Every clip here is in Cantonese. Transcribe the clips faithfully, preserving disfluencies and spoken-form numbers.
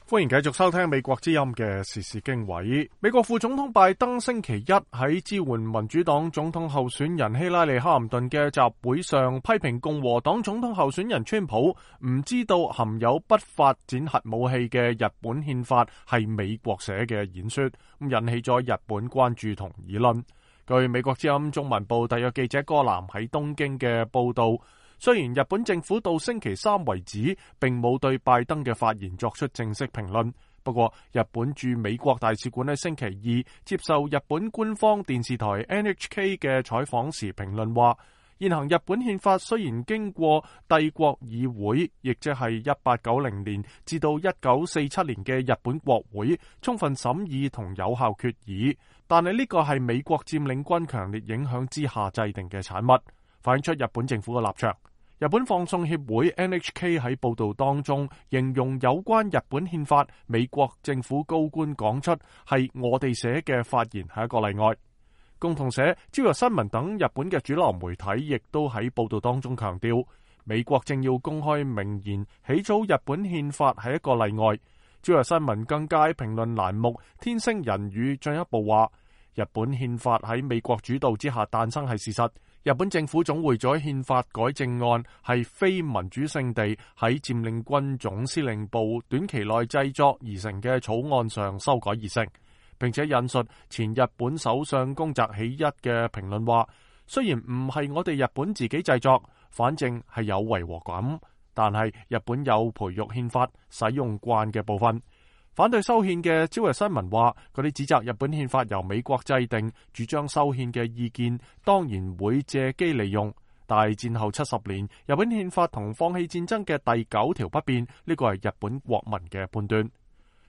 歡迎繼續收聽美國之音嘅時事經緯。美國副總統拜登星期一喺支援民主黨總統候選人希拉里哈林頓嘅集會上，批評共和黨總統候選人川普唔知道含有不發展核武器嘅日本憲法係美國寫嘅演說，咁引起咗日本關注同議論。據美國之音中文部特約記者柯南喺東京嘅報道，雖然日本政府到星期三為止並冇對拜登嘅發言作出正式評論，不過日本駐美國大使館喺星期二接受日本官方電視台 N H K 嘅採訪時評論話，現行日本憲法雖然經過帝國議會，亦即係一八九零年至到一九四七年嘅日本國會充分審議同有效決議，但係呢個係美國佔領軍強烈影響之下制定嘅產物，反映出日本政府嘅立場。日本放送協會 N H K 喺報道當中形容有關日本憲法，美國政府高官講出係我哋寫嘅發言係一個例外。共同社、朝日新聞等日本嘅主流媒體亦都喺報道當中強調，美國正要公開明言起草日本憲法係一個例外。朝日新聞更加喺評論欄目天星人語進一步話，日本憲法喺美國主導之下誕生係事實。日本政府總會咗憲法改正案係非民主聖地喺佔領軍總司令部短期內製作而成嘅草案上修改而成，並且引述前日本首相宮澤喜一嘅評論話，雖然唔係我哋日本自己製作，反正係有違和感，但係日本有培育憲法使用慣嘅部分。反對修憲嘅朝日新聞話，嗰啲指責日本憲法由美國制定、主張修憲嘅意見，當然會借機利用。但係戰後七十年，日本憲法同放棄戰爭嘅第九條不變，呢個係日本國民嘅判斷。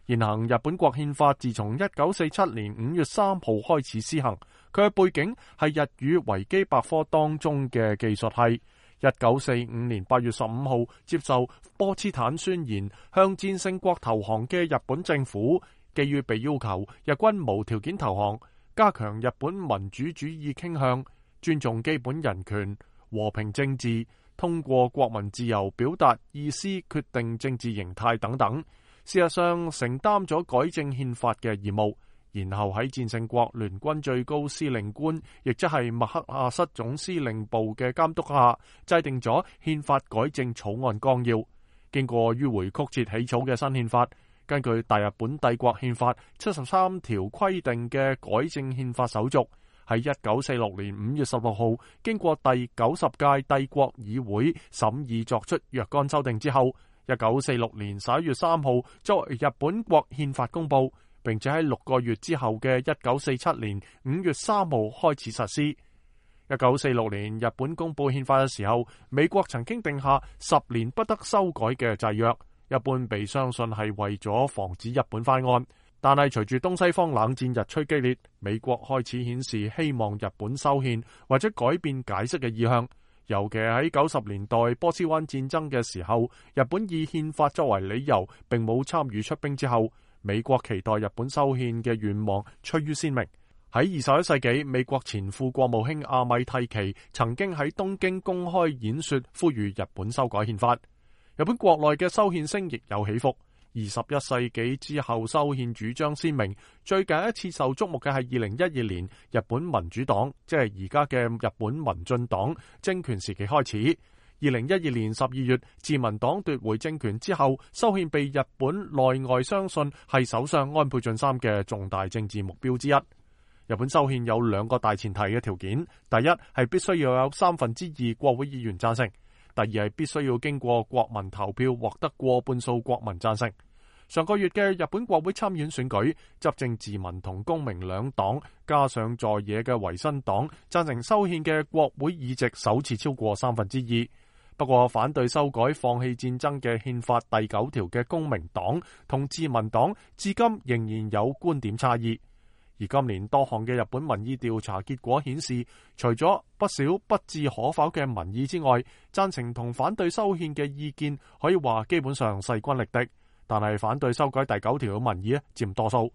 現行日本國憲法自從一九四七年五月三號開始施行，佢嘅背景係日語維基百科當中嘅技術係。一九四五年八月十五號接受波茨坦宣言，向戰勝國投降嘅日本政府，基於被要求日軍無條件投降，加強日本民主主義傾向，尊重基本人權、和平政治，通過國民自由表達意思、決定政治形態等等，事實上承擔咗改正憲法嘅義務。然後喺戰勝國聯軍最高司令官，亦即係麥克阿瑟總司令部嘅監督下，制定咗憲法改正草案綱要。經過迂回曲折起草嘅新憲法，根據大日本帝國憲法七十三條規定嘅改正憲法手續，喺一九四六年五月十六號經過第九十屆帝國議會審議作出若干修訂之後，一九四六年十一月三號作為日本國憲法公布，並且喺六個月之後嘅一九四七年五月三號開始實施。一九四六年日本公布憲法嘅時候，美國曾經定下十年不得修改嘅制約，一般被相信係為咗防止日本翻案。但係隨住東西方冷戰日趨激烈，美國開始顯示希望日本修憲或者改變解釋嘅意向。尤其喺九十年代波斯灣戰爭嘅時候，日本以憲法作為理由，並冇參與出兵之後，美國期待日本修憲嘅願望趨於鮮明。喺二十一世紀，美國前副國務卿阿米蒂奇曾經喺東京公開演說，呼籲日本修改憲法。日本國內嘅修憲聲亦有起伏。二十一世紀之後，修憲主張鮮明。最近一次受矚目嘅係二零一二年日本民主黨，即係而家嘅日本民進黨政權時期開始。二零一二年十二月，自民黨奪回政權之後，修憲被日本內外相信係首相安倍晉三嘅重大政治目標之一。日本修憲有兩個大前提嘅條件，第一係必須要有三分之二國會議員贊成，第二係必須要經過國民投票獲得過半數國民贊成。上個月嘅日本國會參院選舉，執政自民同公明兩黨加上在野嘅維新黨贊成修憲嘅國會議席首次超過三分之二。不過反對修改放棄戰爭嘅憲法第九條嘅公明黨同自民黨至今仍然有觀點差異。而今年多項嘅日本民意調查結果顯示，除咗不少不置可否嘅民意之外，贊成同反對修憲嘅意見可以話基本上勢均力敵。但係反對修改第九條嘅民意佔多數。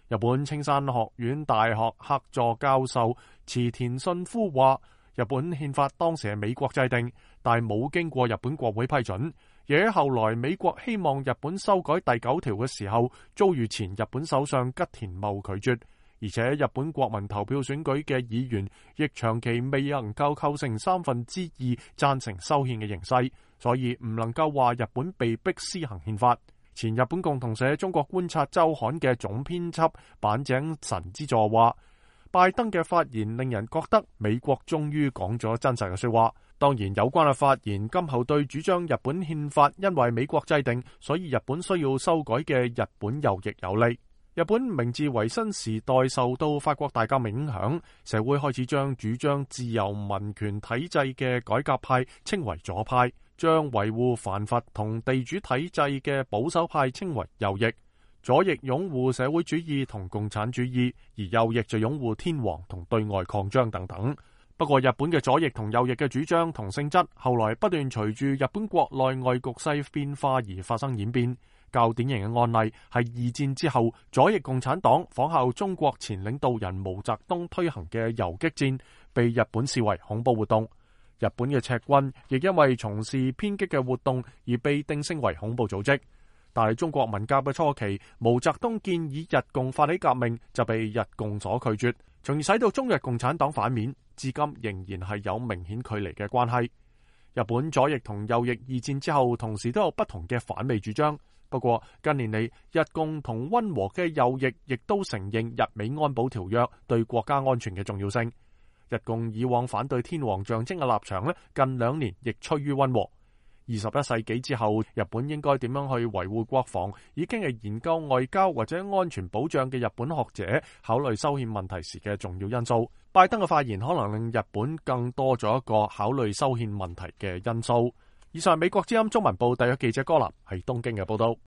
日本青山學院大學客座教授池田信夫話，日本憲法當時係美國制定，但係冇經過日本國會批准。而喺後來美國希望日本修改第九條嘅時候，遭遇前日本首相吉田茂拒絕，而且日本國民投票選舉嘅議員亦長期未能夠構成三分之二贊成修憲嘅形勢，所以唔能夠話日本被迫施行憲法。前日本共同社中國觀察週刊嘅總編輯板井神之助話，拜登嘅發言令人覺得美國終於講咗真實嘅說話。當然，有關嘅發言今後對主張日本憲法因為美國制定，所以日本需要修改嘅日本右翼有利。日本明治維新時代受到法國大革命影響，社會開始將主張自由民權體制嘅改革派稱為左派，將維護藩閥同地主體制嘅保守派稱為右翼。左翼擁護社會主義同共產主義，而右翼就擁護天皇同對外擴張等等。不過日本嘅左翼同右翼嘅主張同性質，後來不斷隨住日本國內外局勢變化而發生演變。較典型嘅案例係二戰之後，左翼共產黨仿效中國前領導人毛澤東推行嘅游擊戰，被日本視為恐怖活動。日本嘅赤軍亦因為從事偏激嘅活動而被定性為恐怖組織。但係中國文革嘅初期，毛澤東建議日共發起革命，就被日共所拒絕，從而使到中日共產黨反面，至今仍然係有明顯距離嘅關係。日本左翼同右翼二戰之後同時都有不同嘅反美主張。不過近年嚟，日共同溫和嘅右翼亦都承認日美安保條約對國家安全嘅重要性。日共以往反對天皇象徵嘅立場咧，近兩年亦趨於溫和。二十一世紀之後，日本應該點樣去維護國防，已經係研究外交或者安全保障嘅日本學者考慮修憲問題時嘅重要因素。拜登嘅發言可能令日本更多咗一個考慮修憲問題嘅因素。以上係美國之音中文部特約記者柯林喺東京嘅報道。